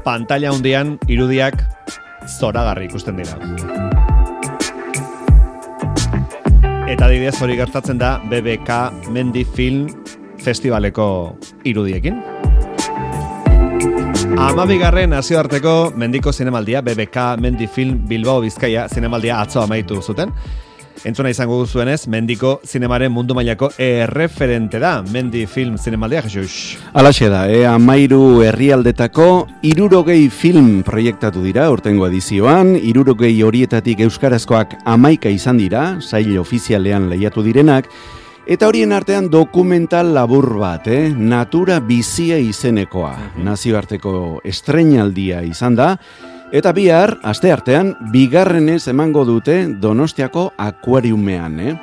Pantalla hundian irudiak zoragarri ikusten dira. Eta adibidez hori gertatzen da BBK Mendi Film Festivaleko irudiekin. 12. nazioarteko mendiko zinemaldia BBK Mendi Film Bilbao Bizkaia zinemaldia atzo amaitu zuten. Entzuna izango duzuenez, mendiko zinemaren mundu mailako erreferente da, Mendi Film zinemaldia, Jesus. Alaxe da, 13 herrialdetako 60 film proiektatu dira urtengo edizioan, 60 horietatik euskarazkoak 11 izan dira, sail ofizialean lehiatu direnak, eta horien artean dokumental labur bat, Natura bizia izenekoa, nazioarteko estreinaldia izan da, eta bihar, asteartean, bigarrenez emango dute Donostiako akuariumean,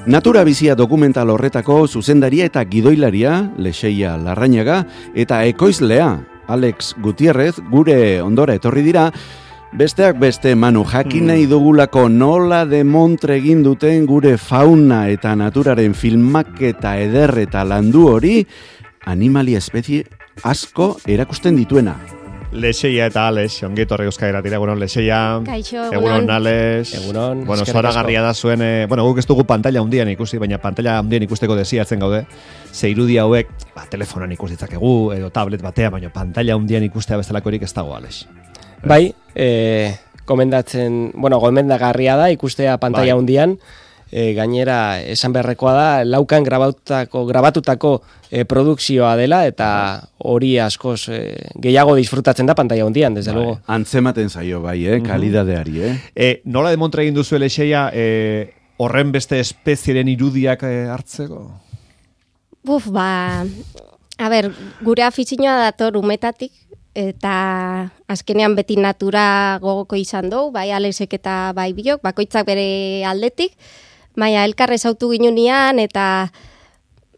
Natura bizia dokumental horretako zuzendaria eta gidoilaria, Lexeia Larrañaga, eta ekoizlea, Alex Gutierrez, gure ondora etorri dira, besteak beste, Manu, jakin nahi dugulako nola demontre egin duten gure fauna eta naturaren filmaketa eder eta landu hori, animalia espezie asko erakusten dituena. Lexeia eta Alex, ongi etorri Euskara Irratira, egunon Lexeia. Kaixo, egunon Alex. Egunon. Bueno, zoragarria da zuen, guk ez dugu pantalla hundian ikusi, baina pantalla hundian ikusteko desiatzen gaude. Ze irudi hauek, telefonan ikus ditzakegu edo tablet batea, baina pantalla hundian ikustea bestelakorik ez dago, Alex. Bai, gomendagarria da ikustea pantalla hundian. Gainera esan beharrekoa da laukan grabatutako produkzioa dela eta hori askoz gehiago disfrutatzen da pantalla hundian, desde luego. Antzematen zaio bai, kalidadeari, Nola demontre egin duzu Lexeia horren beste espezieren irudiak hartzeko? Gure afizioa dator umetatik, eta azkenean beti natura gogoko izan dugu, bai Alexek eta bai biok, bakoitzak bere aldetik, baina elkar ezautu ginunean eta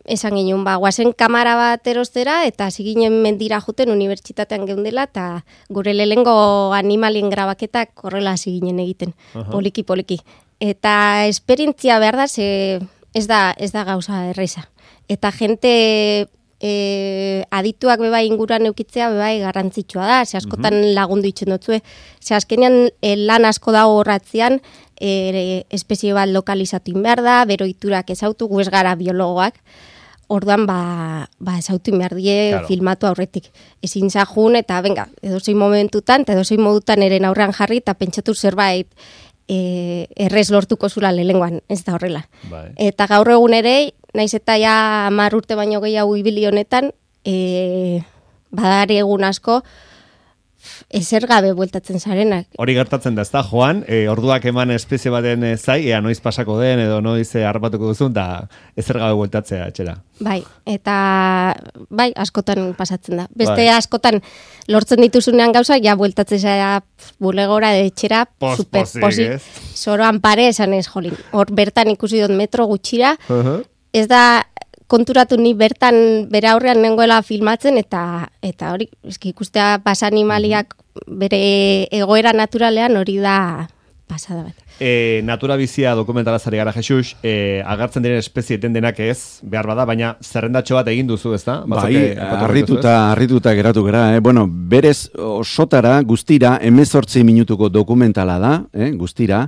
esan ginen, guazen kamara bat erostera eta hasi ginen mendira juten unibertsitatean geundela eta gure lehengo animalien grabaketak horrela hasi ginen egiten, poliki. Eta esperientzia behar da, ez da gauza erreza. Eta jente adituak bebai inguruan eukitzea bebai garrantzitsua da, ze askotan lagundu itzen dutzue. Ze azkenean lan asko dago horratzean, espezie bat lokalizatu behar da, bero iturak ezautu, gu ez gara biologoak, orduan ezautu behar die claro. Filmatu aurretik. Ezin zahun eta edozein momentutan, eta edozein modutan eren aurrean jarri, eta pentsatu zerbait errez lortuko zula lehengoan, ez da horrela. Bai. Eta gaur egun ere, naiz eta ja 10 urte baino gehiago ibili honetan, badari egun asko, ezer gabe bueltatzen zarenak. Hori gertatzen da, ez da, Joan, orduak eman espezie baten zai, noiz pasako den, edo noiz harrapatuko duzun, da ezer gabe bueltatzea etxera. Bai, eta askotan pasatzen da. Beste askotan lortzen dituzunean gauza, ja bueltatzen zara bulegora etxera, super posi. Zoroan pare esan ez jolin. Hor bertan ikusi dut metro gutxira, ez da konturatu ni bertan bere aurrean nengoela filmatzen eta hori ikustea pasa animaliak bere egoera naturalean hori da pasada bat. Natura bizia dokumentalazari gara, Jesus, agertzen diren espezie eten denak ez, behar bada, baina zerrendatxo bat egin duzu, ezta? Bai, harrituta geratu gara, berez osotara guztira 18 minutuko dokumentala da, guztira,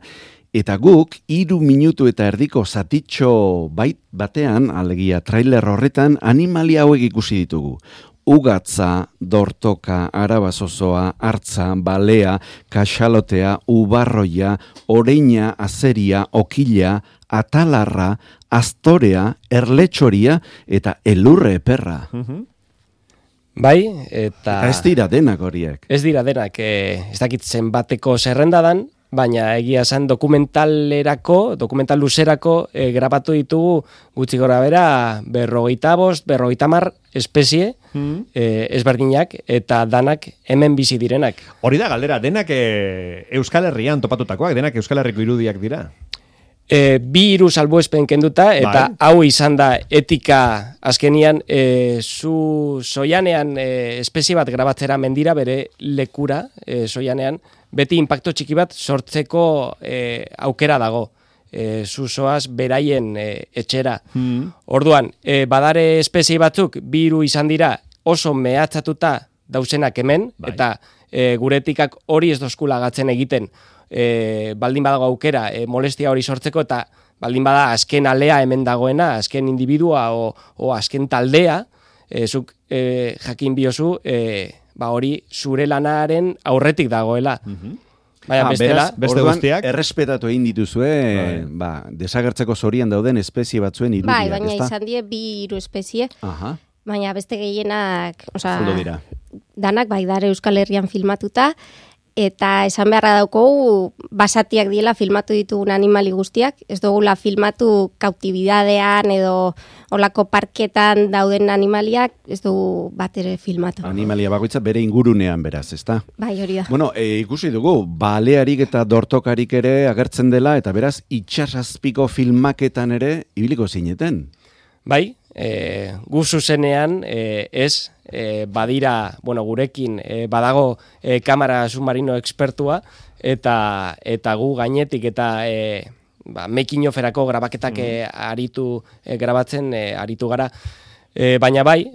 eta guk 3 minutu eta erdiko zatitxo batean, alegia trailer horretan, animalia hauek ikusi ditugu. Ugatza, dortoka, arabazozoa, hartza, balea, kaxalotea, ubarroia, oreina, azeria, okila, atalarra, astorea, erletxoria eta elurre eperra. Bai, eta ez dira denak horiek. Ez dira denak, ez dakitzen bateko zerrendadan, baina egia zen dokumental luzerako grabatu ditugu gutxi gora bera 50 espezie ezberdinak eta danak hemen bizi direnak. Hori da galdera, denak Euskal Herrian topatutakoak, denak Euskal Herriko irudiak dira? 2-3 salbuespen kenduta, eta hau izan da etika azkenian, zu soianean espezie bat grabatzera mendira bere lekura, soianean, beti inpakto txiki bat sortzeko aukera dago. Zu zoaz beraien etxera. Orduan, badare espezie batzuk, 2 izan dira oso mehatzatuta dauzenak hemen, eta gure etikak hori ez dozkula gatzen egiten, baldin badago aukera molestia hori sortzeko, eta baldin bada azken alea hemen dagoena, azken individua o azken taldea, zuk jakin biozu, hori zure lanaren aurretik dagoela. Baina bestela, beste guztiak errespetatu egin dituzue, desagertzeko zorian dauden espezie batzuen irudiak, baina izan die 2-3 espezie, baina beste gehienak, danak dare Euskal Herrian filmatuta, eta esan beharra daukogu basatiak diela filmatu ditugun animali guztiak, ez dugula filmatu kautibidadean edo olako parketan dauden animaliak, ez dugu bat ere filmatu. Animalia bakoitza bere ingurunean beraz, ezta? Bai, hori da. Bueno, ikusi dugu, balearik eta dortokarik ere agertzen dela, eta beraz, itxasazpiko filmaketan ere ibiliko zineten. Bai, gu zuzenean ez, badira, gurekin badago kamera submarino expertua, eta gu gainetik eta making oferako grabaketak grabatzen aritu gara. Baina bai,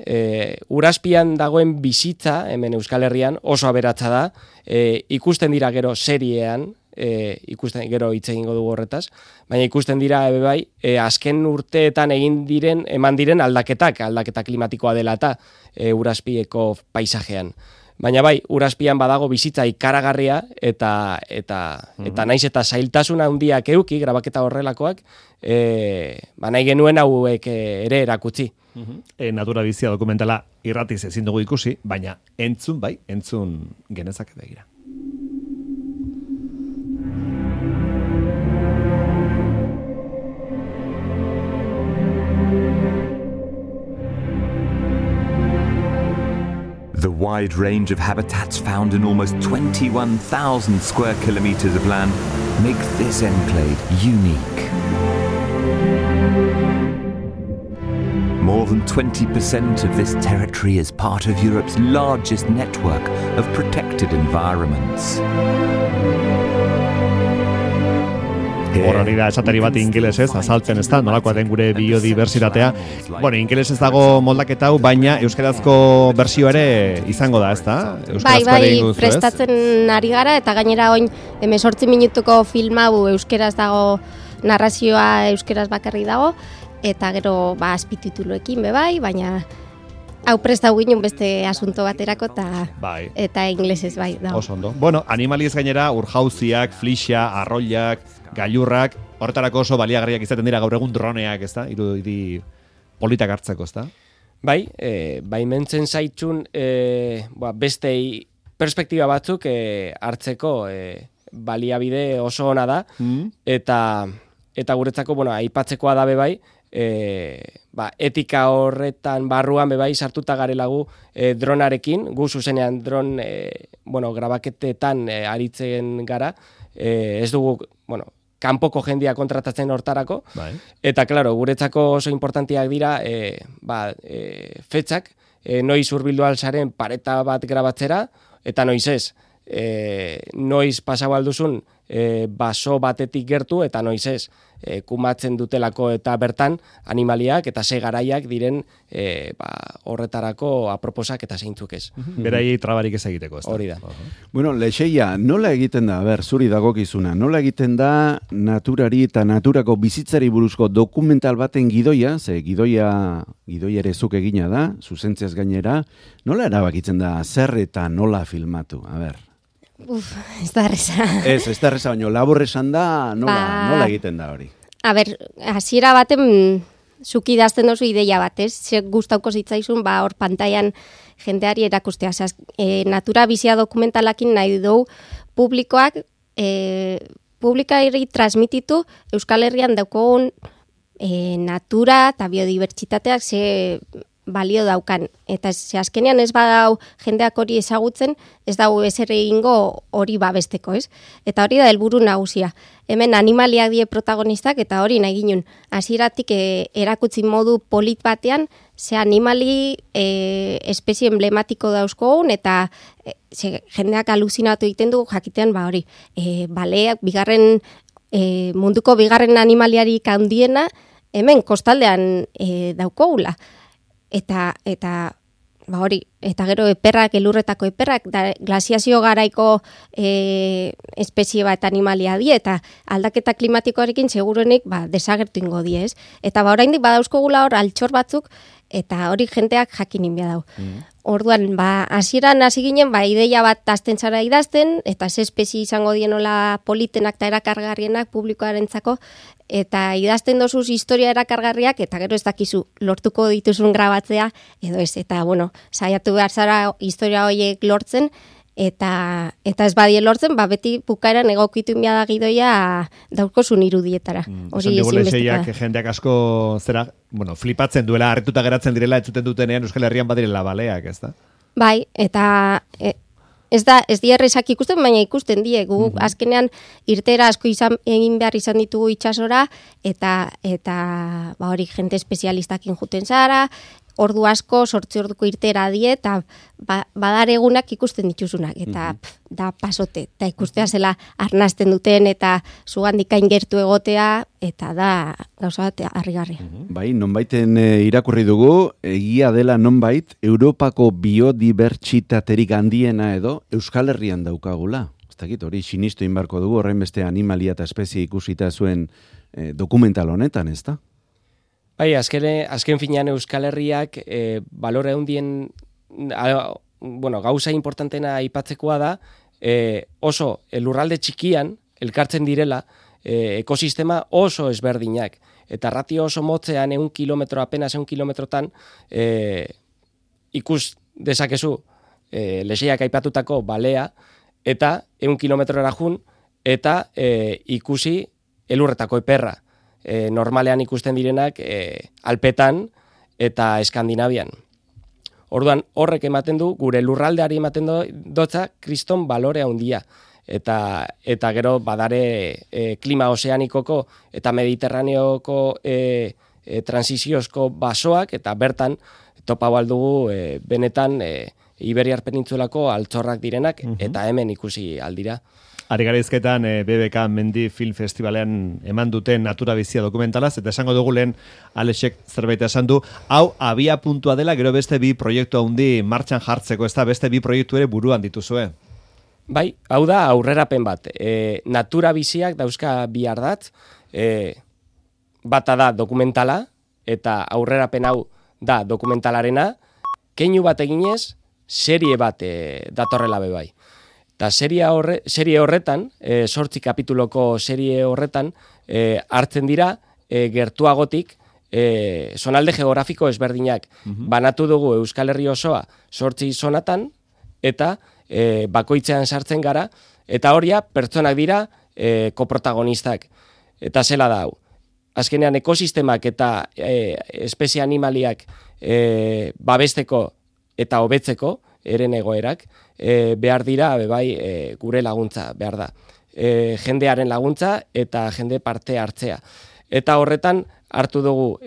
Urazpian dagoen bizitza, hemen Euskal Herrian, oso aberatsa da, ikusten dira gero seriean, ikusten gero hitz egingo dugu horretaz, baina ikusten dira bai, azken urteetan eman diren aldaketa klimatikoa dela eta Urazpieko paisajean. Baina bai, Urazpian badago bizitza ikaragarria eta naiz eta zailtasuna handiak euki, grabaketa horrelakoak, nahi genuen hauek ere erakutsi. Natura bizia dokumentala irratiz ezin dugu ikusi, baina entzun genezake begira. The wide range of habitats found in almost 21,000 square kilometers of land makes this enclave unique. More than 20% of this territory is part of Europe's largest network of protected environments. Horrori da esateri bat ingelesez, azaltzen ez da, nolakoa den gure biodiversitatea. Ingelesez dago moldaketa hau, baina euskarazko bersio ere izango da, ez da? Bai, prestatzen ari gara, eta gainera oin 18 minutuko film hau euskaraz dago, narrazioa euskaraz bakarri dago, eta gero azpitituluekin bai, baina hau prestau ginen beste asunto baterako eta inglesez bai dago. Oso ondo. Animaliez gainera, urjauziak, flixia, arroilak, gailurrak, horretarako oso baliagarriak izaten dira gaur egun droneak, ez da? Irudi politak hartzeko, ez da? Bai, mentzen zaitzun beste perspektiba batzuk hartzeko baliabide oso ona da, eta guretzako, aipatzekoa da bai, etika horretan barruan bai sartuta garelagu dronarekin, gu zuzenean dron grabaketetan aritzen gara, ez dugu, kanpoko jendia kontratatzen hortarako, eta claro, guretzako oso importantiak dira fetzak, noiz hurbildu alzaren pareta bat grabatzera, eta noiz ez, noiz pasau alduzun baso batetik gertu, eta noiz ez, kumatzen dutelako eta bertan animaliak eta ze garaiak diren horretarako aproposak eta zeintzuk ez. Beraiei trabarik ez egiteko, ez da? Hori da. Lexeia, nola egiten da, zuri dagokizuna, nola egiten da naturari eta naturako bizitzari buruzko dokumental baten gidoia, ze gidoia ere zuk egina da, zuzentziaz gainera, nola erabakitzen da zer eta nola filmatu, Ez da erreza. Ez da erreza, baina labur esan da, nola egiten da hori? Hasiera baten zuki idazten dozu ideia bat, ez? Gustauko zitzaizun, hor pantailan jendeari erakustea. Natura bizia dokumentalakin nahi dugu publikoak, publikari transmititu Euskal Herrian daukogun natura eta biodibertsitateak balio daukan. Eta azkenean ez badau jendeak hori ezagutzen, ez dau ezer egingo hori babesteko, ez? Eta hori da helburu nagusia. Hemen animaliak die protagonistak eta hori nahi ginen. Hasieratik erakutsi modu polit batean, ze animali espezie emblematiko dauzkogun eta jendeak aluzinatu egiten du jakitean hori. Baleak munduko bigarren animaliarik handiena hemen kostaldean daukogula. Eta hori, eta gero eperrak, elurretako eperrak, glasiazio garaiko espezie bat animalia die, eta aldaketa klimatikoarekin seguruenik desagertu ingo die, ez? Eta oraindik badauzkogula hor altxor batzuk, eta hori jenteak jakin inbia dau. Orduan, hasieran hasi ginen, ideia bat azten zara idazten, eta ze espezie izango dienola politenak eta erakargarrienak publikoarentzako, eta idazten dozuz historia erakargarriak, eta gero ez dakizu lortuko dituzun grabatzea, edo ez, eta saiatu behar zara historia horiek lortzen, eta ez badie lortzen, beti bukaeran egokitu inbia da gidoia dauzkozun irudietara. Hori ezinbestekoa. Jendeak asko flipatzen duela, harrituta geratzen direla, entzuten dutenean Euskal Herrian badirela baleak, ez da? Bai, eta ez di errezak ikusten, baina ikusten die. Gu azkenean irtera asko egin behar izan ditugu itsasora, eta hori jente espezialistakin juten zara, ordu asko, 8 orduko irtera die, eta badar egunak ikusten dituzunak, eta da pasote, eta ikustea zela arnazten duten, eta zugandikain gertu egotea, eta da gauza bat harrigarria. Bai, nonbaiten irakurri dugu, egia dela nonbait, Europako biodibertsitaterik handiena edo Euskal Herrian daukagula. Ez dakit, hori sinistu inbarko dugu, horrein beste animalia eta espezie ikusita zuen dokumental honetan, ez da? Bai, azken finean Euskal Herriak balore handien gauza importantena aipatzekoa da, oso lurralde txikian elkartzen direla ekosistema oso ezberdinak. Eta ratio oso motzean apenas 1 kilometrotan ikus dezakezu leseiak aipatutako balea, eta 1 kilometrora jun, eta ikusi elurretako eperra. Normalean ikusten direnak Alpetan eta Eskandinavian. Orduan horrek ematen du, gure lurraldeari ematen dotza kriston balore handia. Eta gero badare klima ozeanikoko eta mediterraneoko transiziozko basoak, eta bertan topau aldugu benetan Iberiar Penintzulako altzorrak direnak, eta hemen ikusi aldira. Ari gara izketan BBK Mendi Film Festivalean eman duten Natura Bizia dokumentalaz, eta esango dugu lehen Alexek zerbait esan du, hau abia puntua dela, gero beste 2 proiektu handi martxan jartzeko, ez da beste 2 proiektu ere buruan dituzue. Bai, hau da aurrerapen bat. Natura Biziak dauzka 2 ardatz, bata da dokumentala, eta aurrerapen hau da dokumentalarena, keinu bat eginez, serie bat datorrela bebai. Eta serie horretan, 8 kapituloko serie horretan, hartzen dira gertuagotik zonalde geografiko ezberdinak. Banatu dugu Euskal Herri osoa 8 zonatan, eta bakoitzean sartzen gara, eta horia pertsonak dira koprotagonistak. Eta zela da hau. Azkenean ekosistemak eta espezie animaliak babesteko eta hobetzeko, eren egoerak, behar dira, gure laguntza, behar da. Jendearen laguntza eta jende parte hartzea. Eta horretan, hartu dugu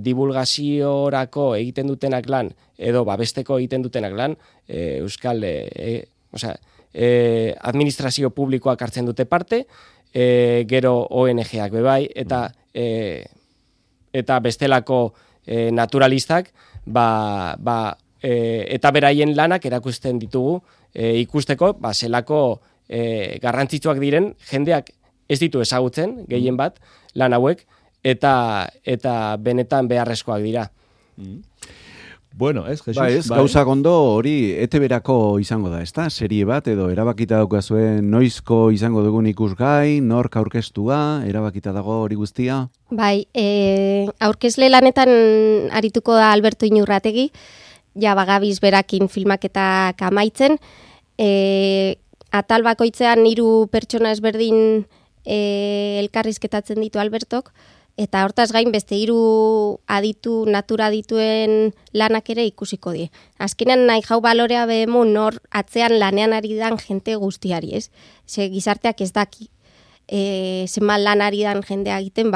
divulgaziorako egiten dutenak lan, edo babesteko egiten dutenak lan, Euskal administrazio publikoak hartzen dute parte, gero ONG-ak bebai, eta bestelako naturalistak, eta beraien lanak erakusten ditugu ikusteko, zelako garrantzitsuak diren, jendeak ez ditu ezagutzen, gehien bat, lan hauek, eta benetan beharrezkoak dira. Bueno, ez, Jesus? Ez, gauza gondo hori ETB-erako izango da, ezta? Serie bat, edo erabakita daukazuen noizko izango dugun ikusgai, nork aurkeztua, erabakita dago hori guztia? Bai, aurkezle lanetan arituko da Alberto Inurrategi, ja bagabiz berakin filmaketak amaitzen, atal bakoitzean 3 pertsona ezberdin elkarrizketatzen ditu Albertok, Eta hortaz gain beste 3 natura adituen lanak ere ikusiko die. Azkenean nahi jau balorea behemu nor atzean lanean ari dan jente guztiari, ez? Ze gizarteak ez daki. Zenbat lan ari dan jendea egiten,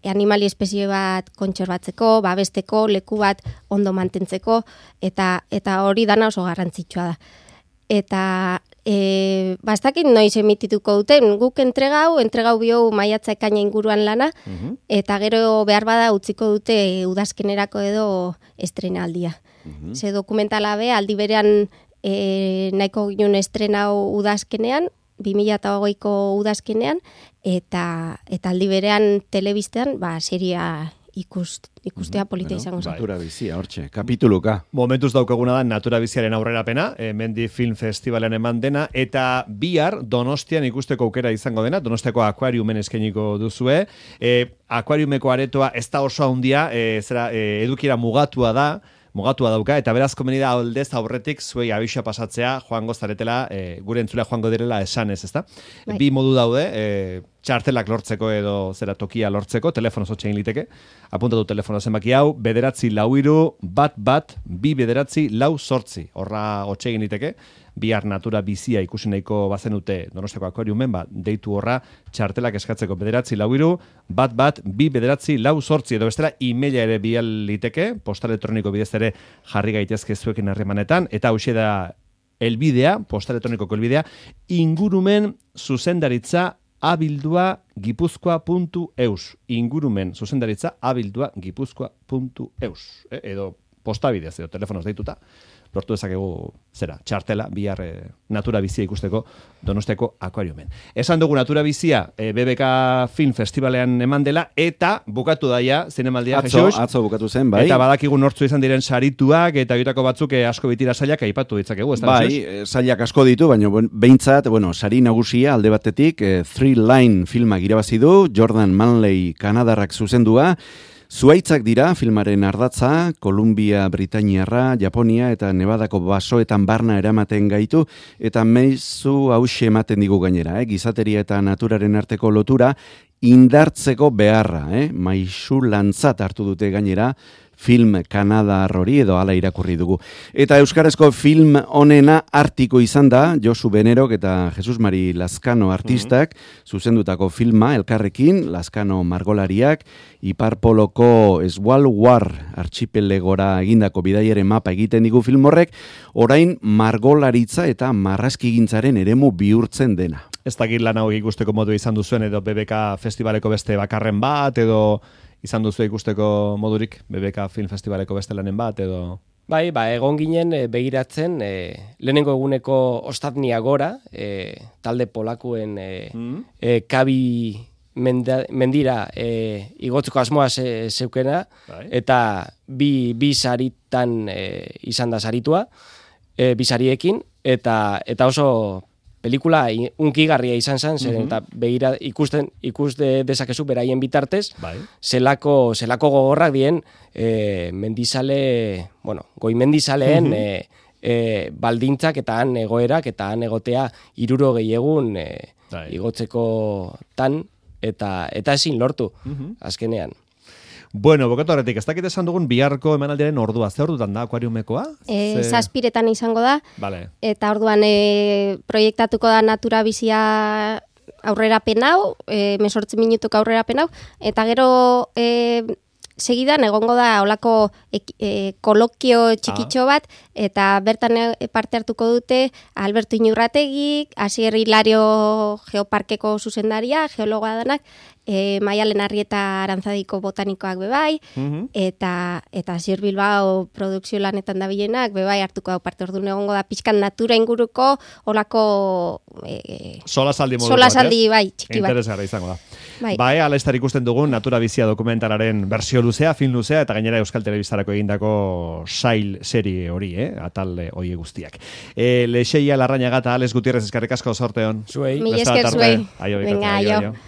animali espezie bat kontserbatzeko, babesteko, leku bat ondo mantentzeko, eta hori dana oso garrantzitsua da. Eta ez dakit noiz emitituko duten, guk entregau bio maiatza ekaina inguruan lana, eta gero behar bada utziko dute udazkenerako edo estrenaldia. Ze dokumentala be, aldi berean nahiko ginen estrenau udazkenean, 2008ko udazkenean, eta aldi berean telebistean, seria ikustea polita izango zen. Natura bizia, hortxe, kapituluka. Momentuz daukaguna da Natura biziaren aurrerapena, Mendi Film Festivalen eman dena, eta bihar Donostian ikusteko aukera izango dena, Donostiako akuariumen eskainiko duzue. Akuariumeko aretoa ez da oso handia, edukiera mugatua dauka, eta beraz komeni da aldez aurretik zuei abisa pasatzea joango zaretela, gure entzulea joango direla esanez, ezta? Bi modu daude, txartelak lortzeko edo tokia lortzeko, telefonoz hotxe egin liteke, apuntatu telefono zenbaki hau, 943-2-2-9-4, horra hotxe egin liteke, bihar Natura bizia ikusi nahiko bazenute Donostiako akuariumen, deitu horra txartelak eskatzeko 943-2-2-9-4, edo bestela emaila ere bial liteke, posta elektroniko bidez ere jarri gaitezke zuekin harremanetan, eta hauxe da elbidea, posta elektronikoko elbidea, ingurumen zuzendaritza abildua gipuzkoa.eus. Ingurumen zuzendaritza abildua gipuzkoa.eus. Edo postabidez, edo telefonoz deituta, lortu dezakegu txartela, bihar Natura bizia ikusteko Donostiako akuariumen. Esan dugu Natura bizia BBK Film Festivalean eman dela, eta bukatu daia zinemaldia, Jesus. Atzo bukatu zen, bai. Eta badakigu nortzu izan diren sarituak, eta horietako batzuk asko bitira sailak aipatu ditzakegu, ez da? Bai, sailak asko ditu, baina behintzat, sari nagusia alde batetik, Three Line filmak irabazi du, Jordan Manley Kanadarrak zuzendua, Zuaitzak dira filmaren ardatza, Kolumbia, Britainiarra, Japonia eta Nevadako basoetan barna eramaten gaitu, eta meizu hauxe ematen digu gainera, gizateria eta naturaren arteko lotura indartzeko beharra, maisu lantzat hartu dute gainera, film Kanadar hori edo hala irakurri dugu. Eta euskarazko film honena artiko izan da, Josu Benerok eta Jesus Mari Lazkano artistak, zuzendutako filma elkarrekin, Lazkano margolariak, Iparpoloko Svalbard archipelegora egindako bidaiaren mapa egiten digu film horrek, orain margolaritza eta marrazkigintzaren eremu bihurtzen dena. Ez dakit lan hau ikusteko modu izan duzuen, edo BBK Festivaleko beste bakarren bat, edo izan duzu ikusteko modurik BBK Film Festivaleko beste lanen bat, edo... Bai, egon ginen begiratzen, lehenengo eguneko ostatnia gora, talde polakuen kabi mendira igotzeko asmoa zeukena, eta bi saritan izan da saritua, bi sariekin, eta oso pelikula unkigarria izan zen, eta begira ikuste dezakezu beraien bitartez, zelako gogorrak dien goi mendizaleen baldintzak eta han egoerak eta han egotea 60 egun igotzeko tan, eta ezin lortu azkenean. Bueno, bokatu horretik, ez dakit esan dugun biharko emanaldiaren ordua, ze ordutan da akuariumekoa? 7 izango da, eta orduan proiektatuko da Natura bizia aurrerapen hau, 18 minutuko aurrerapen hau, eta gero segidan egongo da olako kolokio txikitxo bat, eta bertan parte hartuko dute Alberto Iñurrategi, Asier Hilario Geoparkeko zuzendaria, geologoa danak, Maialen Arrieta Arantzadiko botanikoak bebai, eta Asier Bilbao produkzio lanetan dabilenak bebai hartuko da parte. Orduan egongo da pixkan natura inguruko olako solasaldi bai, txiki bat. Interesgarra izango da. Bai, alaistar ikusten dugun Natura bizia dokumentalaren bersio luzea, film luzea, eta gainera Euskal Telebistarako egindako sail serie hori, atal hori guztiak. Leixeia Larrañaga eta Alex Gutierrez eskerrik asko sorteon. Zuei. Mila esker zuei. Venga, aio.